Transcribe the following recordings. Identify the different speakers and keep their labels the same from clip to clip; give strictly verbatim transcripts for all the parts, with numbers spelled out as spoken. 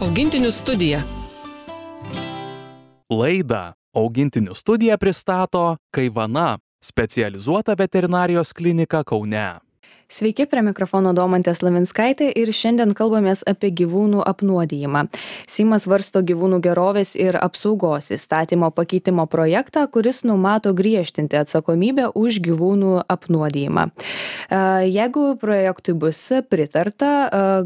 Speaker 1: Augintinių studija.
Speaker 2: Laidą Augintinių studija pristato Kaivana, specializuota veterinarijos klinika Kaune.
Speaker 3: Sveiki, prie mikrofono Domantė Slavinskaitė ir šiandien kalbamės apie gyvūnų apnuodijimą. Seimas svarsto gyvūnų gerovės ir apsaugos įstatymo pakeitimo projektą, kuris numato griežtinti atsakomybę už gyvūnų apnuodijimą. Jeigu projektui bus pritarta,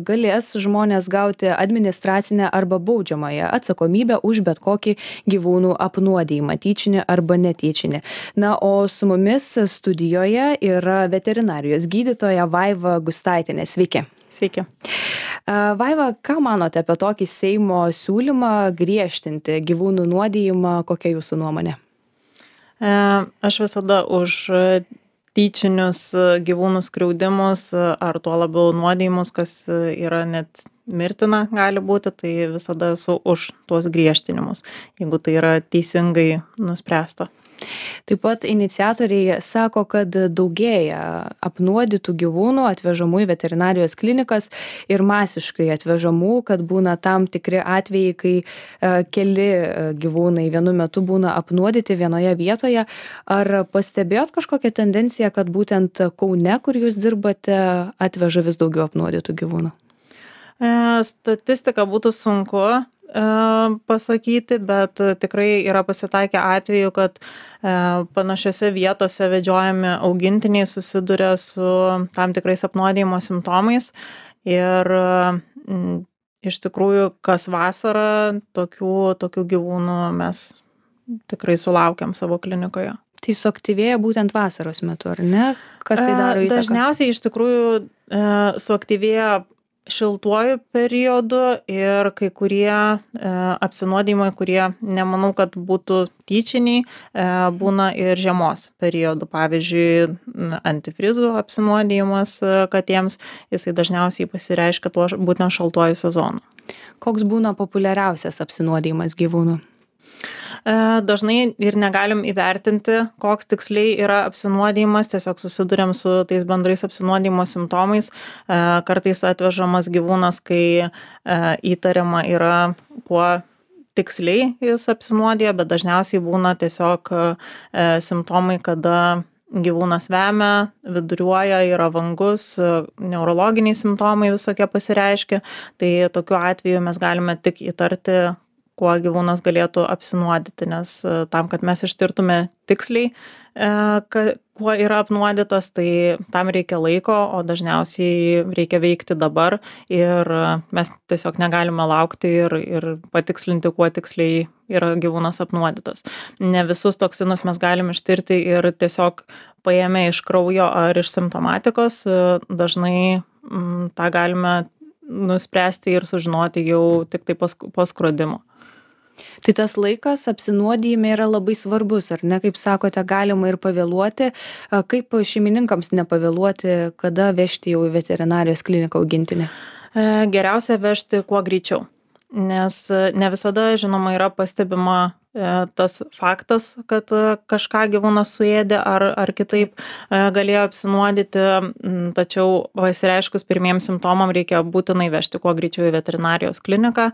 Speaker 3: galės žmonės gauti administracinę arba baudžiamąją atsakomybę už bet kokį gyvūnų apnuodijimą, tyčinį arba netyčinį. Na, o su mumis studijoje yra veterinarijos gydytoja Vaiva Gustaitienė. Sveiki.
Speaker 4: Sveiki.
Speaker 3: Vaiva, ką manote apie tokį Seimo siūlymą griežtinti gyvūnų nuodijimą? Kokia jūsų nuomonė?
Speaker 4: Aš visada už tyčinius gyvūnų skriaudimus ar tuo labiau nuodijimus, kas yra net mirtina gali būti, tai visada esu už tuos griežtinimus, jeigu tai yra teisingai nuspręsta.
Speaker 3: Taip pat iniciatoriai sako, kad daugėja apnuodytų gyvūnų atvežamų į veterinarijos klinikas ir masiškai atvežamų, kad būna tam tikri atvejai, kai keli gyvūnai vienu metu būna apnuodyti vienoje vietoje. Ar pastebėjot kažkokią tendenciją, kad būtent Kaune, kur jūs dirbate, atveža vis daugiau apnuodytų gyvūnų?
Speaker 4: Statistiką būtų sunku pasakyti, bet tikrai yra pasitaikę atveju, kad panašiose vietose vedžiojami augintiniai susiduria su tam tikrais apnuodijimo simptomais ir iš tikrųjų kas vasarą tokių, tokių gyvūnų mes tikrai sulaukiam savo klinikoje.
Speaker 3: Tai suaktyvėja būtent vasaros metu, ar ne? Kas tai daro įtaką?
Speaker 4: Dažniausiai iš tikrųjų suaktyvėja šiltuoju periodu ir kai kurie e, apsinuodijimai, kurie nemanau, kad būtų tyčiniai, e, būna ir žiemos periodu. Pavyzdžiui, antifrizų apsinuodijimas katėms, jisai dažniausiai pasireiškia tuo būtent šaltuoju sezonu.
Speaker 3: Koks būna populiariausias apsinuodijimas gyvūnų?
Speaker 4: Dažnai ir negalim įvertinti, koks tiksliai yra apsinuodijimas, tiesiog susiduriam su tais bendrais apsinuodijimo simptomais. Kartais atvežamas gyvūnas, kai įtariama yra, kuo tiksliai jis apsinuodija, bet dažniausiai būna tiesiog simptomai, kada gyvūnas vemia, viduriuoja, yra vangus, neurologiniai simptomai visokie pasireiškia. Tai tokiu atveju mes galime tik įtarti, kuo gyvūnas galėtų apsinuodyti, nes tam, kad mes ištirtume tiksliai, kuo yra apnuodytas, tai tam reikia laiko, o dažniausiai reikia veikti dabar ir mes tiesiog negalime laukti ir, ir patikslinti, kuo tiksliai yra gyvūnas apnuodytas. Ne visus toksinus mes galim ištirti ir tiesiog paėmę iš kraujo ar iš simptomatikos, dažnai m, tą galime nuspręsti ir sužinoti jau tik tai po, po skrodimo.
Speaker 3: Tai tas laikas apsinuodijime yra labai svarbus, ar ne? Kaip sakote, galima ir pavėluoti. Kaip šeimininkams nepavėluoti, kada vežti jau į veterinarijos kliniką augintinį?
Speaker 4: Geriausia vežti kuo greičiau, nes ne visada, žinoma, yra pastebima tas faktas, kad kažką gyvūnas suėdė ar, ar kitaip galėjo apsinuodyti, tačiau pasireiškus pirmiems simptomam reikia būtinai vežti kuo greičiau į veterinarijos kliniką,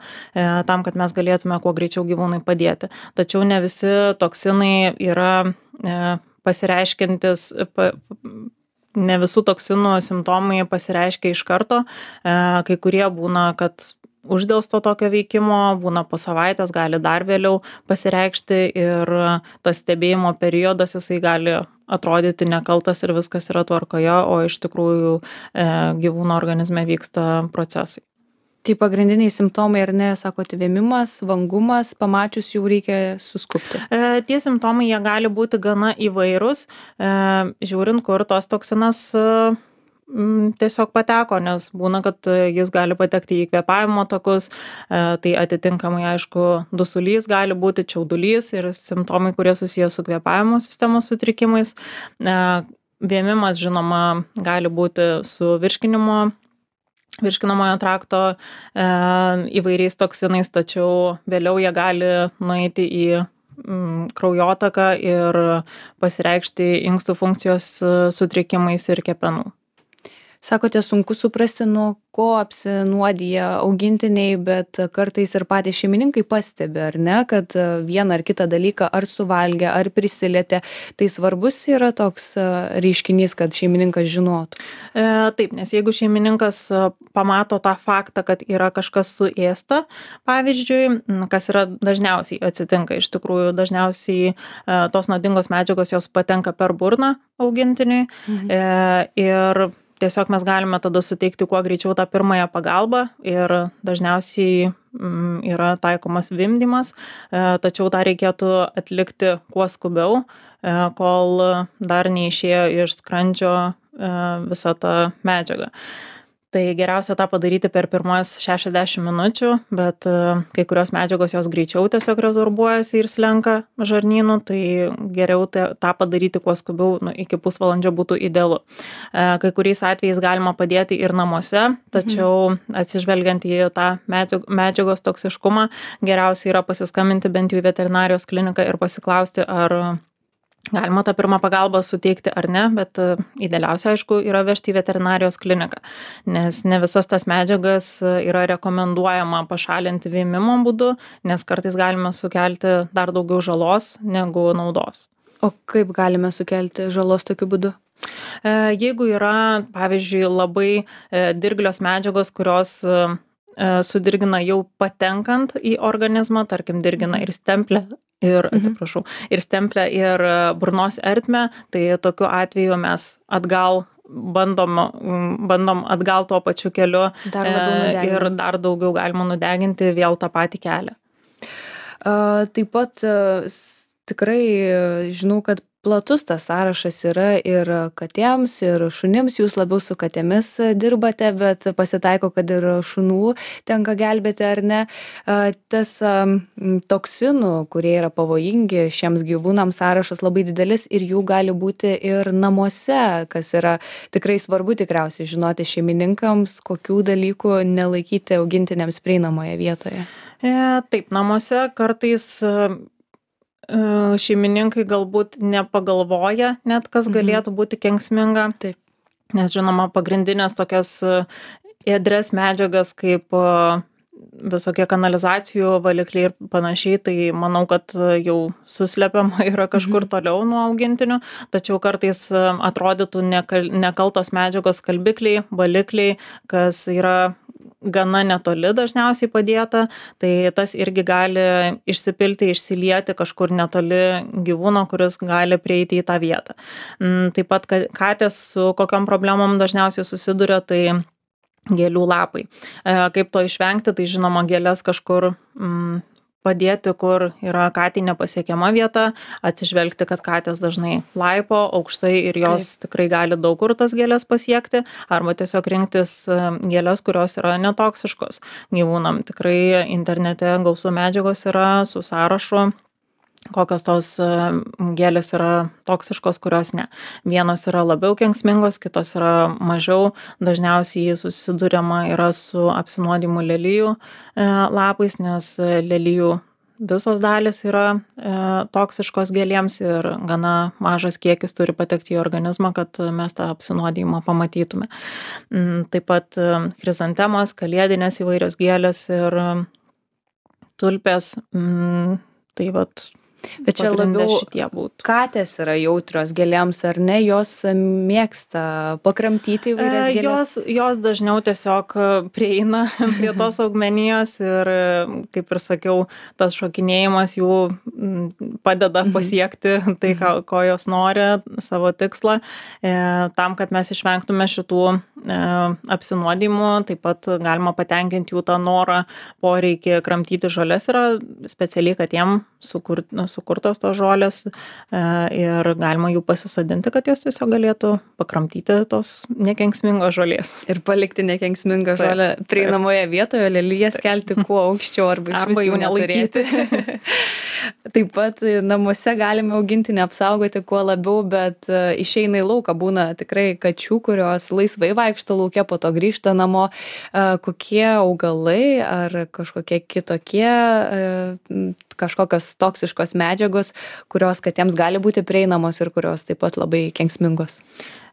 Speaker 4: tam, kad mes galėtume kuo greičiau gyvūnui padėti. Tačiau ne visi toksinai yra pasireiškiantis, ne visų toksinų simptomai pasireiškia iš karto, kai kurie būna, kad uždelsto tokio veikimo, būna po savaitės, gali dar vėliau pasireikšti ir tas stebėjimo periodas jisai gali atrodyti nekaltas ir viskas yra tvarkoje, o iš tikrųjų e, gyvūno organizme vyksta procesai.
Speaker 3: Tai pagrindiniai simptomai, ar ne, sakote, vėmimas, vangumas, pamačius jau reikia suskubti?
Speaker 4: E, tie simptomai jie gali būti gana įvairūs, e, žiūrint, kur tos toksinas e, tiesiog pateko, nes būna, kad jis gali patekti į kvėpavimo takus, tai atitinkamai, aišku, dusulys gali būti, čiaudulys ir simptomai, kurie susijęs su kvėpavimo sistemos sutrikimais. Vėmimas, žinoma, gali būti su virškinimo, virškinamojo trakto įvairiais toksinais, tačiau vėliau jie gali nueiti į kraujotaką ir pasireikšti inkstų funkcijos sutrikimais ir kepenų.
Speaker 3: Sakote, sunku suprasti, nuo ko apsinuodija augintiniai, bet kartais ir patys šeimininkai pastebi, ar ne, kad vieną ar kitą dalyką ar suvalgė, ar prisilietė. Tai svarbus yra toks reiškinys, kad šeimininkas žinotų.
Speaker 4: E, taip, nes jeigu šeimininkas pamato tą faktą, kad yra kažkas suėsta, pavyzdžiui, kas yra dažniausiai atsitinka, iš tikrųjų dažniausiai e, tos nuodingos medžiagos jos patenka per burną augintiniui mhm. e, ir tiesiog mes galime tada suteikti kuo greičiau tą pirmąją pagalbą ir dažniausiai mm, yra taikomas vimdymas, e, tačiau tą reikėtų atlikti kuo skubiau, e, kol dar neišėjo iš skrandžio e, visa ta medžiaga. Tai geriausia tą padaryti per pirmas šešiasdešimt minučių, bet e, kai kurios medžiagos jos greičiau tiesiog rezorbuojasi ir slenka žarnynu, tai geriau te, tą padaryti kuo skubiau, nu, iki pusvalandžio būtų idealu. E, kai kuriais atvejais galima padėti ir namuose, tačiau atsižvelgiant į tą medžiagos toksiškumą, geriausia yra pasiskambinti bent jau į veterinarijos kliniką ir pasiklausti, ar galima tą pirmą pagalbą suteikti ar ne, bet idealiausia, aišku, yra vežti į veterinarijos kliniką, nes ne visas tas medžiagas yra rekomenduojama pašalinti vėmimo būdu, nes kartais galime sukelti dar daugiau žalos negu naudos.
Speaker 3: O kaip galime sukelti žalos tokiu būdu?
Speaker 4: Jeigu yra, pavyzdžiui, labai dirglios medžiagos, kurios sudirgina jau patenkant į organizmą, tarkim, dirgina ir stemplę, ir, atsiprašau, ir stemplę, ir burnos ertmę, tai tokiu atveju mes atgal bandom, bandom atgal tuo pačiu keliu
Speaker 3: dar e,
Speaker 4: ir dar daugiau galima nudeginti vėl tą patį kelią.
Speaker 3: A, taip pat tikrai žinau, kad platus tas sąrašas yra ir katėms, ir šunims. Jūs labiau su katėmis dirbate, bet pasitaiko, kad ir šunų tenka gelbėti, ar ne. Tas toksinų, kurie yra pavojingi šiems gyvūnams, sąrašas labai didelis ir jų gali būti ir namuose, kas yra tikrai svarbu tikriausiai žinoti šeimininkams, kokių dalykų nelaikyti augintiniams prieinamoje vietoje.
Speaker 4: E, taip, namuose kartais šeimininkai galbūt nepagalvoja net, kas galėtų būti kenksminga.
Speaker 3: Taip.
Speaker 4: Nes žinoma, pagrindinės tokias ėdres medžiagas kaip visokie kanalizacijų valikliai ir panašiai, tai manau, kad jau suslepiama yra kažkur mhm. toliau nuo augintinių, tačiau kartais atrodytų nekal, nekaltos medžiagos skalbikliai, valikliai, kas yra gana netoli dažniausiai padėta, tai tas irgi gali išsipilti, išsilieti kažkur netoli gyvūno, kuris gali prieiti į tą vietą. Taip pat katės su kokiom problemom dažniausiai susiduria, tai gėlių lapai. Kaip to išvengti, tai žinoma gėlės kažkur mm, padėti, kur yra katei nepasiekiama vieta, atsižvelgti, kad katės dažnai laipo aukštai ir jos Taip. Tikrai gali daug kur tas gėlės pasiekti, arba tiesiog rinktis gėlės, kurios yra netoksiškos gyvūnam. Tikrai internete gausų medžiagos yra su sąrašu, kokios tos gėlės yra toksiškos, kurios ne. Vienos yra labiau kenksmingos, kitos yra mažiau. Dažniausiai susiduriama yra su apsinuodijimu lelijų lapais, nes lelijų visos dalis yra e, toksiškos gėlėms ir gana mažas kiekis turi patekti į organizmą, kad mes tą apsinuodijimą pamatytume. Taip pat chrizantemos, kalėdinės įvairios gėlės ir tulpės, tai vat
Speaker 3: Bet čia labiau katės yra jautrios gėlėms, ar ne? Jos mėgsta pakramtyti įvairias gėlės?
Speaker 4: Jos, jos dažniau tiesiog prieina prie tos augmenijos ir, kaip ir sakiau, tas šokinėjimas jų padeda pasiekti tai, ką, ko jos nori, savo tikslą. E, tam, kad mes išvengtume šitų e, apsinuodimų, taip pat galima patenkinti jų tą norą, poreikį kramtyti žoles yra specialiai, kad jiem sukurti sukurtos tos žolės ir galima jų pasisodinti, kad jos tiesiog galėtų pakramtyti tos nekenksmingos žolės.
Speaker 3: Ir palikti nekenksmingą taip, žolę prieinamoje vietoje, lelijas kelti kuo aukščiau arba,
Speaker 4: arba jų nelaikyti.
Speaker 3: Taip pat namuose galime augintinį apsaugoti kuo labiau, bet išeina į lauką, būna tikrai kačių, kurios laisvai pasivaikšto lauke, po to grįžta namo. Kokie augalai ar kažkokie kitokie, kažkokios toksiškos medžiagos, kurios katėms gali būti prieinamos ir kurios taip pat labai kenksmingos?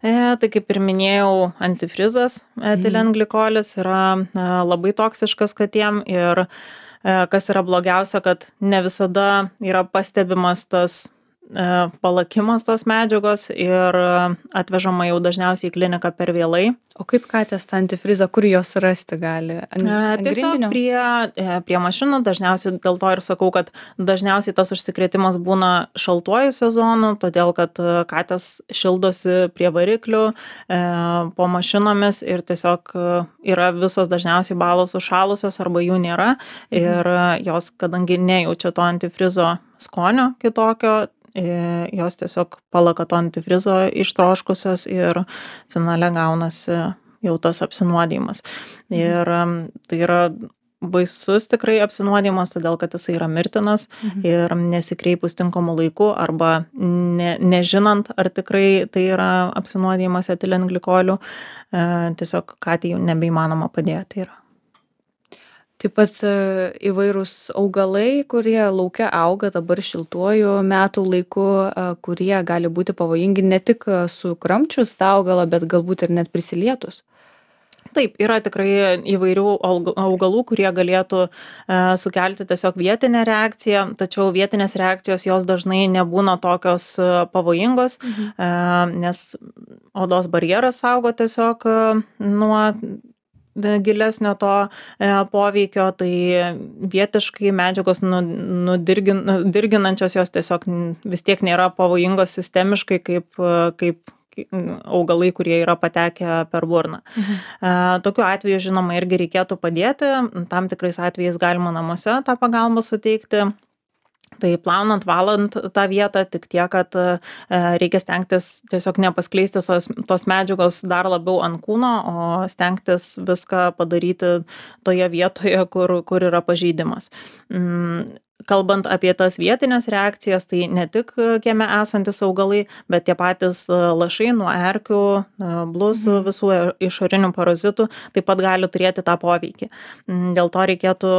Speaker 4: E, tai kaip ir minėjau, antifrizas, etilenglikolis yra e, labai toksiškas katėm ir e, kas yra blogiausia, kad ne visada yra pastebimas tas e, palakimas tos medžiagos ir atvežama jau dažniausiai į kliniką per vėlai.
Speaker 3: O kaip katės tą antifrizą, kur jos rasti gali? Ant, ant
Speaker 4: Tiesiog
Speaker 3: grindinio?
Speaker 4: prie, prie mašinų, dažniausiai dėl to ir sakau, kad dažniausiai tas užsikrėtimas būna šaltuoju sezonu, todėl kad katės šildosi prie variklių, e, po mašinomis ir tiesiog yra visos dažniausiai balos užšalusios arba jų nėra ir jos, kadangi nejaučia to antifrizo skonio kitokio, jos tiesiog palaka to antifrizo ištroškusios ir finale gaunasi jau tas apsinuodijimas. Ir tai yra baisus tikrai apsinuodijimas, todėl kad jisai yra mirtinas mhm. ir nesikreipus tinkamu laiku arba ne, nežinant, ar tikrai tai yra apsinuodijimas etilenglikoliu, tiesiog katei jau nebeįmanoma padėti yra.
Speaker 3: Taip pat įvairūs augalai, kurie lauke auga dabar šiltuoju metų laiku, kurie gali būti pavojingi ne tik sukramčius tą augalą, bet galbūt ir net prisilietus.
Speaker 4: Taip, yra tikrai įvairių augalų, kurie galėtų e, sukelti tiesiog vietinę reakciją, tačiau vietinės reakcijos jos dažnai nebūna tokios pavojingos, mhm. e, nes odos barjeras saugo tiesiog e, nuo gilesnio to e, poveikio, tai vietiškai medžiagos nu, nudirgin, dirginančios jos tiesiog vis tiek nėra pavojingos sistemiškai kaip, kaip augalai, kurie yra patekę per burną. Mhm. E, tokiu atveju, žinoma, irgi reikėtų padėti, tam tikrais atvejais galima namuose tą pagalbą suteikti. Tai plaunant, valant tą vietą, tik tiek, kad e, reikia stengtis tiesiog nepaskleisti tos, tos medžiagos dar labiau ant kūno, o stengtis viską padaryti toje vietoje, kur, kur yra pažeidimas. Mm. Kalbant apie tas vietinės reakcijas, tai ne tik kieme esantis augalai, bet tie patys lašai nuo erkių, blusų, mhm. visų išorinių parazitų taip pat gali turėti tą poveikį. Dėl to reikėtų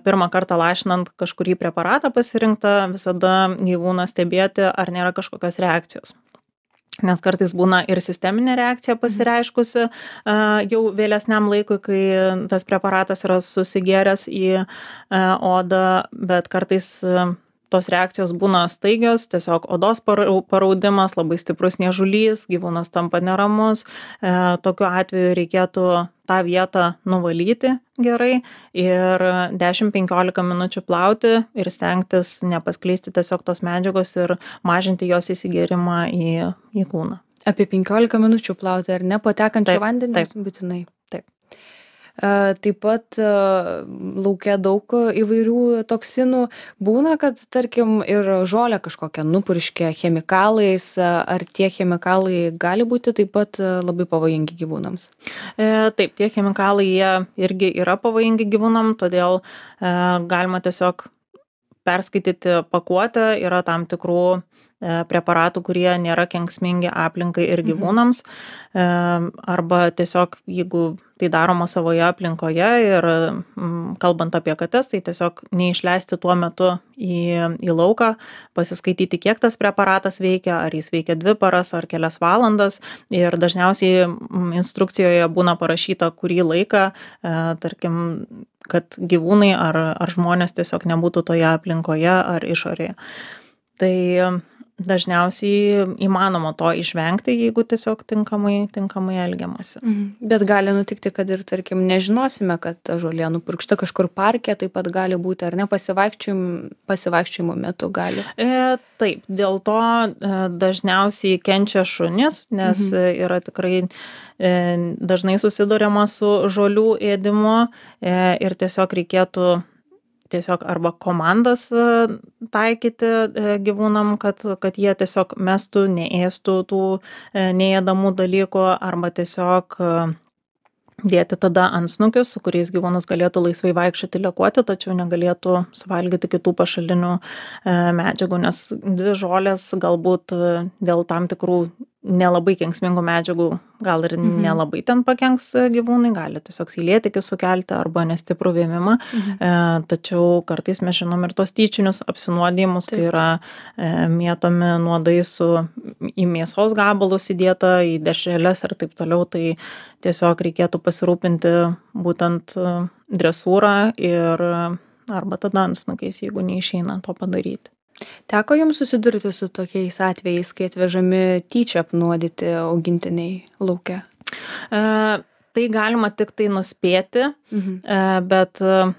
Speaker 4: pirmą kartą lašinant kažkurį preparatą pasirinktą, visada gyvūną stebėti, ar nėra kažkokios reakcijos. Nes kartais būna ir sisteminė reakcija pasireiškusi jau vėlesniam laikui, kai tas preparatas yra susigėręs į odą, bet kartais tos reakcijos būna staigios, tiesiog odos paraudimas, labai stiprus niežulys, gyvūnas tampa neramus. Tokiu atveju reikėtų tą vietą nuvalyti gerai ir dešimt penkiolika minučių plauti ir stengtis nepaskleisti tiesiog tos medžiagos ir mažinti jos įsigėrimą į, į kūną.
Speaker 3: Apie penkiolika minučių plauti ar ne patekančią
Speaker 4: Taip,
Speaker 3: vandenį?
Speaker 4: taip.
Speaker 3: Būtinai.
Speaker 4: Taip.
Speaker 3: Taip pat lauke daug įvairių toksinų. Būna, kad tarkim ir žolę kažkokią nupurškia chemikalais, ar tie chemikalai gali būti taip pat labai pavojingi gyvūnams?
Speaker 4: Taip, tie chemikalai jie irgi yra pavojingi gyvūnam, todėl galima tiesiog perskaityti pakuotę, yra tam tikrų preparatų, kurie nėra kenksmingi aplinkai ir gyvūnams, mhm. arba tiesiog, jeigu tai daroma savoje aplinkoje ir kalbant apie kates, tai tiesiog neišleisti tuo metu į, į lauką, pasiskaityti, kiek tas preparatas veikia, ar jis veikia dvi paras ar kelias valandas ir dažniausiai instrukcijoje būna parašyta, kurį laiką, tarkim, kad gyvūnai ar, ar žmonės tiesiog nebūtų toje aplinkoje ar išorėje. Tai dažniausiai įmanoma to išvengti, jeigu tiesiog tinkamai, tinkamai elgiamasi.
Speaker 3: Mhm. Bet gali nutikti, kad ir, tarkim, nežinosime, kad ta žolė nupurkšta kažkur parke, taip pat gali būti, ar ne, pasivaikščiojimo, pasivaikščiojimo metu gali.
Speaker 4: E, taip, dėl to e, dažniausiai kenčia šunis, nes mhm. yra tikrai e, dažnai susiduriama su žolių ėdimu e, ir tiesiog reikėtų tiesiog arba komandas taikyti gyvūnam, kad, kad jie tiesiog mestų, neėstų tų neėdamų dalykų, arba tiesiog dėti tada antsnukius, su kuriais gyvūnas galėtų laisvai vaikščioti, lekuoti, tačiau negalėtų suvalgyti kitų pašalinių medžiagų, nes dvi žolės galbūt dėl tam tikrų nelabai kenksmingų medžiagų gal ir
Speaker 3: Mhm.
Speaker 4: nelabai ten pakenks gyvūnui, gali tiesiog seilėtekį sukelti arba nestiprų vėmimą.
Speaker 3: Mhm.
Speaker 4: E, tačiau kartais mes žinom ir tos tyčinius apsinuodijimus, kai
Speaker 3: Taip.
Speaker 4: yra e, mėtomi nuodai su į mėsos gabalus įdėta, į dešreles ir taip toliau, tai tiesiog reikėtų pasirūpinti būtent e, dresūrą ir arba tada antsnukiais, jeigu neišeina to padaryti.
Speaker 3: Teko jums susidurti su tokiais atvejais, kai atvežami tyčia apnuodyti augintiniai lauke?
Speaker 4: E, tai galima tik tai nuspėti,
Speaker 3: Mhm.
Speaker 4: e, bet e,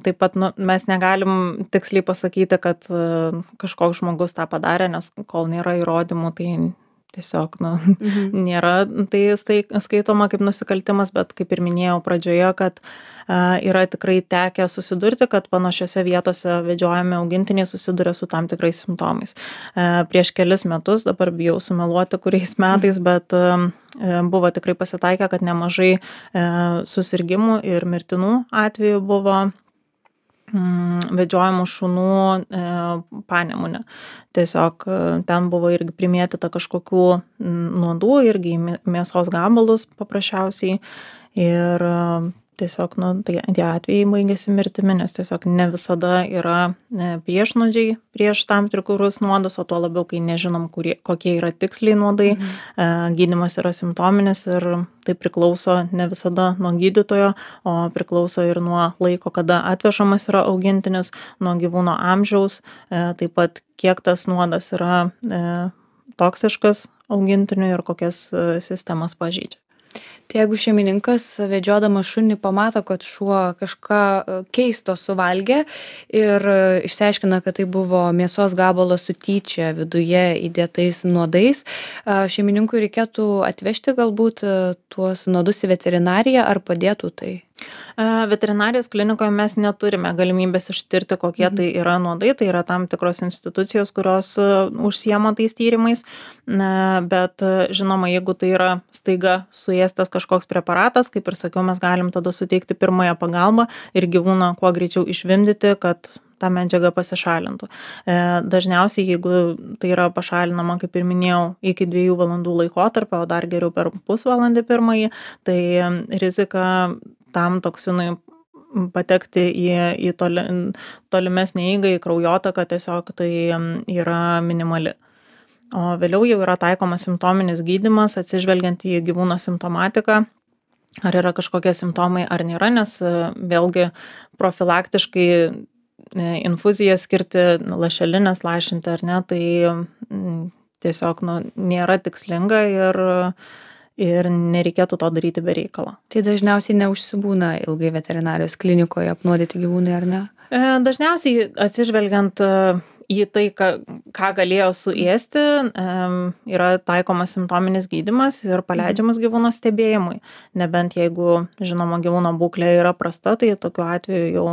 Speaker 4: taip pat nu, mes negalim tiksliai pasakyti, kad e, kažkoks žmogus tą padarė, nes kol nėra įrodymų, tai tiesiog nu,
Speaker 3: Mhm.
Speaker 4: nėra tai stai, skaitoma kaip nusikaltimas, bet kaip ir minėjau pradžioje, kad a, yra tikrai tekę susidurti, kad panašiose vietose vedžiojami augintiniai susiduria su tam tikrais simptomais. A, prieš kelis metus, dabar bijau sumeluoti kuriais metais, bet a, buvo tikrai pasitaikę, kad nemažai a, susirgymų ir mirtinų atvejų buvo vedžiojamų šunų e, Panemunė. Tiesiog e, ten buvo irgi primėtyta kažkokių nuodų, irgi į mėsos gabalus paprasčiausiai. Ir e, tiesiog, nu, tai tie atvejai baigėsi mirtimi, nes tiesiog ne visada yra e, priešnuodžiai prieš tam tikrus nuodus, o tuo labiau, kai nežinom, kurie, kokie yra tiksliai nuodai.
Speaker 3: Mhm.
Speaker 4: E, gydymas yra simptominis ir tai priklauso ne visada nuo gydytojo, o priklauso ir nuo laiko, kada atvežamas yra augintinis, nuo gyvūno amžiaus, e, taip pat kiek tas nuodas yra e, toksiškas augintiniui ir kokias e, sistemas pažeidžia.
Speaker 3: Tai jeigu šeimininkas vedžiodamas šunį pamato, kad šuo kažką e, keisto suvalgė ir e, išsiaiškina, kad tai buvo mėsos gabalas su tyčia viduje įdėtais nuodais, e, šeimininkui reikėtų atvežti galbūt e, tuos nuodus į veterinariją ar padėtų tai?
Speaker 4: Veterinarijos klinikoje mes neturime galimybės ištirti, kokie tai yra nuodai, tai yra tam tikros institucijos, kurios užsiema tais tyrimais, bet žinoma, jeigu tai yra staiga suėstas kažkoks preparatas, kaip ir sakiau, mes galim tada suteikti pirmąją pagalbą ir gyvūną kuo greičiau išvimdyti, kad ta medžiaga pasišalintų. Dažniausiai, jeigu tai yra pašalinama, kaip ir minėjau, iki dviejų valandų laikotarpio, o dar geriau per pusvalandį pirmąjį, tai rizika tam toksinui patekti į, į toli, tolimesnį eigą, į kraujotaką, tiesiog tai yra minimali. O vėliau jau yra taikomas simptominis gydymas, atsižvelgiant į gyvūno simptomatiką, ar yra kažkokie simptomai ar nėra, nes vėlgi profilaktiškai infuziją skirti, lašelinės lašinti ar ne, tai tiesiog nu, nėra tikslinga ir ir nereikėtų to daryti be reikalo.
Speaker 3: Tai dažniausiai neužsibūna ilgai veterinarijos klinikoje apnuodyti gyvūnai, ar ne?
Speaker 4: Dažniausiai atsižvelgiant į tai, ką, ką galėjo suėsti, yra taikomas simptominis gydymas ir paleidžiamas gyvūno stebėjimui. Nebent jeigu, žinoma, gyvūno būklė yra prasta, tai tokiu atveju jau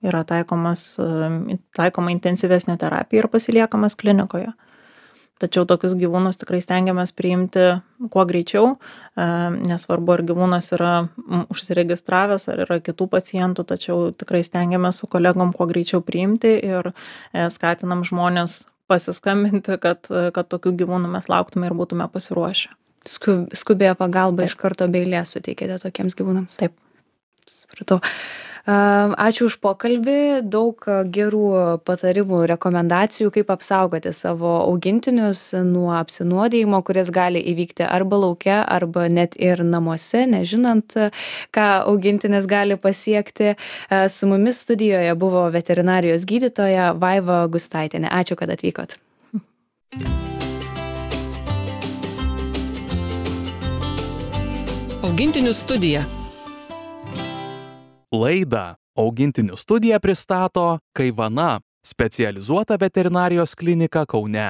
Speaker 4: yra taikomas, taikoma intensyvesnė terapija ir pasiliekamas klinikoje. Tačiau tokius gyvūnus tikrai stengiamės priimti kuo greičiau, nesvarbu, ar gyvūnas yra užsiregistravęs, ar yra kitų pacientų, tačiau tikrai stengiamės su kolegom kuo greičiau priimti ir skatinam žmonės pasiskambinti, kad, kad tokių gyvūnų mes lauktume ir būtume pasiruošę.
Speaker 3: Skubėjo pagalba iš karto be eilės suteikėte tokiems gyvūnams?
Speaker 4: Taip.
Speaker 3: Supratau. Ačiū už pokalbį, daug gerų patarimų, rekomendacijų, kaip apsaugoti savo augintinius nuo apsinuodijimo, kuris gali įvykti arba lauke, arba net ir namuose, nežinant, ką augintinis gali pasiekti. Su mumis studijoje buvo veterinarijos gydytoja Vaiva Gustaitienė. Ačiū, kad atvykot.
Speaker 1: Augintinių studija.
Speaker 2: Laidą Augintinių studija pristato Kaivana, specializuota veterinarijos klinika Kaune.